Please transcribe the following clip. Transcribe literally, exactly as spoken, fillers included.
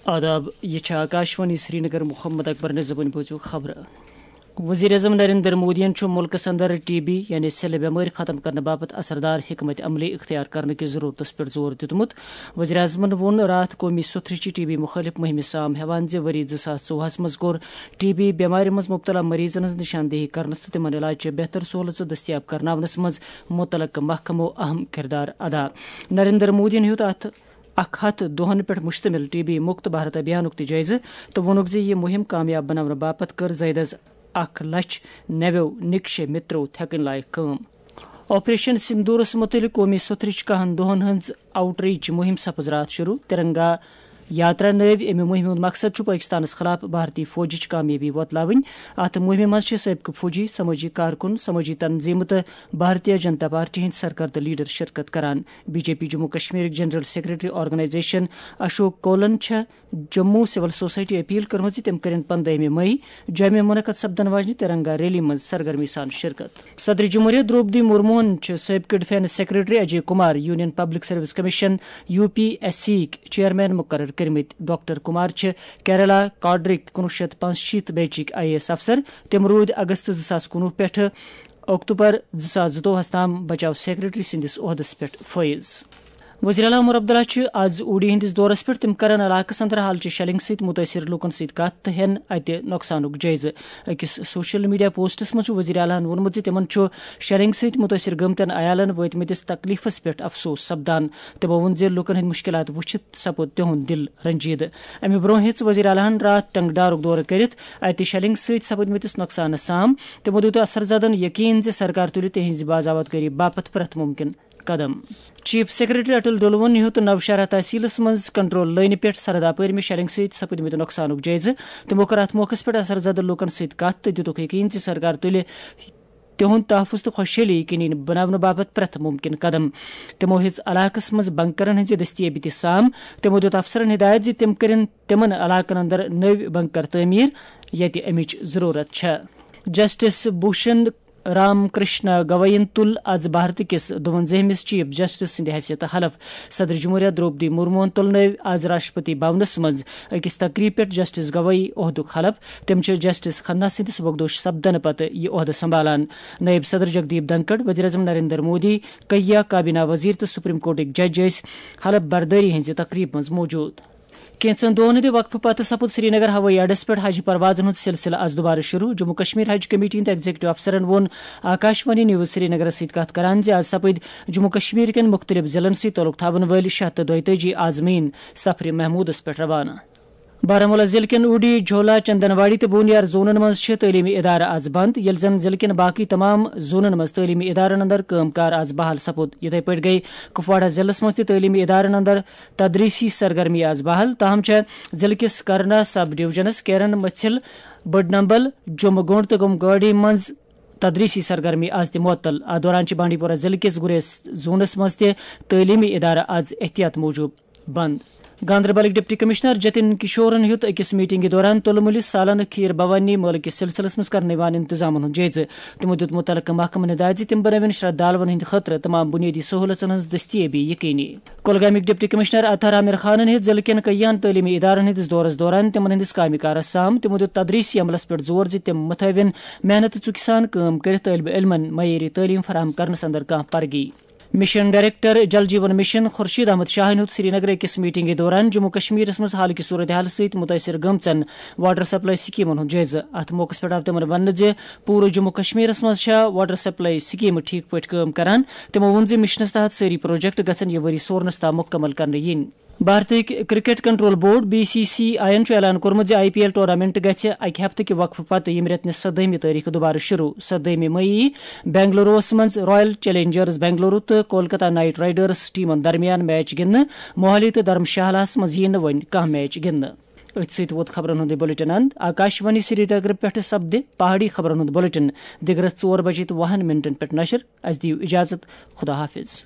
آداب، یہ چھا آکاشوانی سرینگر۔ محمد اکبر نظمن بوزو خبر۔ وزیر اعظم نریندر مودین چھُ ملکس اندر ٹی بی یعنی سِلہٕ بٮ۪مٲرۍ ختم کرنہٕ باپتھ اثردار حکمت عملی اختیار کرنہٕ کِس ضرورتس پٮ۪ٹھ زور دیُتمُت۔ وزیر اعظمن ووٚن راتھ قومی سُتھرٕچہِ ٹی بی مُخٲلف مُہِمہِ سام ہٮ۪وان زِ ؤری زٕ ساس ژوٚوُہس منٛز کوٚر ٹی بی بٮ۪مارِ منٛز مبتلا مریضن ہٕنٛز نشاندہی کرنس تہٕ تِمن علاج چہِ بہتر سہولژٕ دٔستیاب کرناونس منٛز مُتعلقہٕ محکمو اہم کردار ادا۔ نریندر مودین ہیوٚت اتھ اکھ ہتھ دۄہن پٮ۪ٹھ مشتمل ٹی بی مکت بھارت ابھیانُک تہِ جٲیزٕ تہٕ ووٚنُکھ زِ یہِ مُہِم کامیاب بناونہٕ باپتھ کٔر زٲیدس اکھ لچھ نویو نکشے مترو تھٮ۪کٕنۍ لایق کٲم۔ آپریشن سندورس متعلق قومی سوٚتھرٕچ کاہن دۄہن ہٕنٛز آؤٹ ریچ مُہِم سپٕز راتھ شروع۔ ترنگا یاترا نٲوۍ امہِ مُہِمہِ ہُنٛد مقصد چھُ پٲکِستانَس خٕلاف بھارتی فوجٕچ کامیٲبی وۄتلاوٕنۍ۔ اَتھ مُہِمہِ منٛز چھِ سٲبقہٕ فوجی، سمٲجی کارکُن، سمٲجی تنظیٖمہٕ تہٕ بھارتیہ جنتا پارٹی ہٕنٛدۍ سرکردٕ لیڈر شرکت کران۔ بی جے پی جموں کشمیرٕکۍ جنرل سیکرٹری آرگنائزیشن اشوک کولن چھےٚ جموں سول سوسائٹی اپیل کٔرمٕژ زِ تِم کٔرِن پندٲہمہِ مئی جوٚمہِ منعقد سپدن واجنہِ ترنگا ریلی منٛز سرگرمی سان شرکت۔ صدر جمہوریہ درٛوپدی مرموہن چھِ سٲبقہٕ defence secretary Ajay Kumar, union public service commission, U P S C یِکۍ چیئرمین مقرر کٔرمٕتۍ۔ ڈاکٹر کمار چھِ کیرالہ کاڈرٕکۍ کُنوُہ شیٚتھ پانٛژشیٖتھ بیچٕکۍ آئی اے ایس افسر۔ تِم روٗدۍ اگست زٕ ساس کُنوُہ پٮ۪ٹھٕ اکتوبر زٕ ساس زٕتووُہس تام بچاو سیکرٹری سٕنٛدِس عہدس پٮ۪ٹھ فٲیض۔ وزیر اعلیٰ عمر عبداللہ چھِ از اوڈی ہٕنٛدِس دورس پٮ۪ٹھ۔ تِم کرن علاقس اندر حالچہِ شیلنگ سۭتۍ مُتٲثر لوٗکن سۭتۍ کتھ تہٕ ہٮ۪ن اتہِ نۄقصانُک جٲیزٕ۔ أکِس سوشل میڈیا پوسٹس منٛز چھُ وزیر اعلیٰ ہَن ووٚنمُت زِ تِمن چھُ شیلنگ سۭتۍ مُتٲثر گٔمتٮ۪ن عیالن وٲتمٕتِس تکلیفس پٮ۪ٹھ افسوس سپدان۔ تِمو ووٚن زِ لوٗکن ہٕنٛدۍ مُشکِلات وٕچھِتھ سپُد تِہُنٛد دِل رنجیدٕ۔ امہِ برٛونٛہہ ہیٚژ وزیر اعلیٰ ہَن راتھ ٹنگڈارُک دورٕ کٔرِتھ اتہِ شیلنگ سۭتۍ سپٕدمٕتِس نۄقصانس سام۔ تِمو دیُت اثر زدن یقین زِ سرکار تُلہِ تِہنٛزِ باضابطگٲری باپتھ پرٛٮ۪تھ مُمکِن قدم۔ چیف سیکرٹری اٹل ڈولون ہیوٚت نوشہرہ تحصیلس منٛز کنٹرول لٲنہِ پٮ۪ٹھ سرحد اپٲرۍ مہِ شیلنگ سۭتۍ سپٕدمٕتۍ نۄقصانُک جٲیزٕ۔ تِمو کٔر اتھ موقعس پٮ۪ٹھ اثر زدٕ لوٗکن سۭتۍ کتھ تہٕ دِتُکھ یقین زِ سرکار تُلہِ تِہُنٛد تحفظ تہٕ خۄشحٲلی یقینی بناونہٕ باپتھ پرٛٮ۪تھ مُمکِن قدم۔ تِمو ہیٚژ علاقس منٛز بنکرن ہٕنٛزِ دٔستیٲبی تہِ سام۔ تِمو دیُت افسرن ہدایت زِ تِم کٔرِن تِمن علاقن اندر نٔوۍ بنکر تعمیٖر، ییٚتہِ امِچ ضروٗرت چھےٚ۔ جسٹس بھوشن رام کرشنا گوائین تُل از بھارت کِس دُوَنزٲہمِس چیف جسٹس سٕنٛدِ حیثیتہٕ حلف۔ صدر جمہوریہ درٛوپدی مرموہن تُلنٲوۍ از راشٹرپتی بھونس منٛز أکِس تقریٖب پٮ۪ٹھ جسٹس گوایی عہدُک حلف۔ تِم چھِ جسٹس کھنہ سٕنٛدِ سبکدوش سپدنہٕ پتہٕ یہِ عہدٕ سنبھالان۔ نٲیِب صدر جگدیپ دھنکڑ، وزیر اعظم نریندر مودی، کئیا کابینہ وزیر تہٕ سپریم کورٹٕکۍ جج ٲسۍ حلف بردٲری ہٕنٛزِ تقریٖبہِ منٛز موجود۔ کینٛژن دۄہن ہٕنٛدِ وقفہٕ پتہٕ سپُد سرینگر ہوٲیی اڈس پٮ۪ٹھ حج پروازن ہُنٛد سلسلہٕ از دُبارٕ شروع۔ جموں کشمیر حج کمیٹی ہٕنٛدۍ ایگزیکٹو افسرن ووٚن آکاشوانی نیوز سرینگرس سۭتۍ کتھ کران زِ از سپٕدۍ جموں کشمیر کٮ۪ن مُختٔلِف ضلعن سۭتۍ تعلق تھاون وٲلۍ شےٚ ہتھ تہٕ دۄیتٲجی عازمین سفر محمودس پٮ۪ٹھ روانہٕ۔ بارہمولہ ضلعہٕ کٮ۪ن اوڈی، جھولا، چندنواڑی تہٕ بونیار زونن منٛز چھِ تعلیمی ادارٕ از بند، ییٚلہِ زن ضلعہٕ کٮ۪ن باقی تمام زونن منٛز تعلیمی ادارن اندر کٲم کار از بحال سپُد۔ یِتھے پٲٹھۍ گٔیہِ کپواڑہ ضلعس منٛز تہِ تعلیمی ادارن اندر تدریسی سرگرمی از بحال، تاہم چھےٚ ضلعہٕ کِس کرنا سب ڈویژنس کیرن مژھل، بڈنمبل، جمعہ گونڈ تہٕ گمگاڑی منٛز تدریسی سرگرمی از تہِ معطل۔ اتھ دوران چھِ بانڈی پورہ ضلعہٕ کِس گریز زونس منٛز تہِ تعلیمی ادارٕ از احتیاط موجود بند۔ گاندربلٕکۍ ڈپٹی کمشنر جتن کشورن ہیوٚت أکِس میٹنگہِ دوران تُلمُلہِ سالانہٕ کھیٖر بھوانی مٲلہٕ کِس سلسلس منٛز کرنہٕ یِوان انتظامن ہُنٛد جٲیزٕ۔ تِمو دیُت مُتعلقہٕ محکمن ہدایت زِ تِم بنٲوِن شردھالوَن ہٕنٛدِ خٲطرٕ تمام بُنیٲدی سہوٗلژن ہٕنٛز دٔستیٲبی یقینی۔ کۄلگامٕکۍ ڈپٹی کمشنر اطہر عامر خانن ہیٚژ ضلعہٕ کٮ۪ن کئیان تعلیمی ادارن ہٕنٛدِس دورس دوران تِمن ہٕنٛدِس کامہِ کارس سام۔ تِمو دیُت تدریسی عملس پٮ۪ٹھ زور زِ تِم متھٲوِن محنتہٕ ژُکہِ سان کٲم کٔرِتھ طٲلبہِ علمن معیٲری تعلیٖم فراہم کرنس اندر کانٛہہ Pargi. Mission director Jal Jeevan mission Khurshid Ahmad شاہن ہیوٚت سری نگر أکِس میٹنگہِ دوران جموں کشمیرس منٛز حالٕکہِ صورتحال سۭتۍ مُتٲثر گٔمژن واٹر سپلائی سکیمن ہُنٛد جٲیزٕ۔ اتھ موقعس پٮ۪ٹھ آو تِمن وننہٕ زِ پوٗرٕ جموں کشمیرس منٛز چھےٚ واٹر سپلائی سکیمہٕ ٹھیک پٲٹھۍ کٲم کران۔ تِمو ووٚن زِ مشنس تحت سٲری پروجیکٹ گژھن یہِ ؤری سورنس تام مُکمل کرنہٕ یِنۍ۔ بھارتٕکۍ cricket control board, B C C I یَن چھُ اعلان کوٚرمُت زِ آئی پی ایل ٹورنامنٹ گژھِ اَکہِ ہفتہٕ کہِ وقفہٕ پتہٕ ییٚمہِ رٮ۪تہٕ نِس سدٲہمہِ تٲریخہٕ دُبارٕ شروع۔ سدٲہمہِ مئی یی بنگلوروَس منٛز رائل چیلنجرز بنگلورو تہٕ کولکتہ نائٹ رائیڈرز ٹیمَن درمیان میچ گِنٛدنہٕ۔ موہالی تہٕ دھرمشالاہَس منٛز یِیہِ نہٕ وۄنۍ کانٛہہ میچ گِنٛدنہٕ۔ أتھۍ سۭتۍ ووت خبرن ہُنٛد یہِ بلیٹن اند۔ آکاشوانی سری نگر پٮ۪ٹھٕ سپدِ پہاڑی خبرن ہُنٛد بلیٹن دِگرس ژور بجے تہٕ وُہن منٹن پٮ۪ٹھ نشر۔ اَسہِ دِیِو اجازت۔ خدا حافظ۔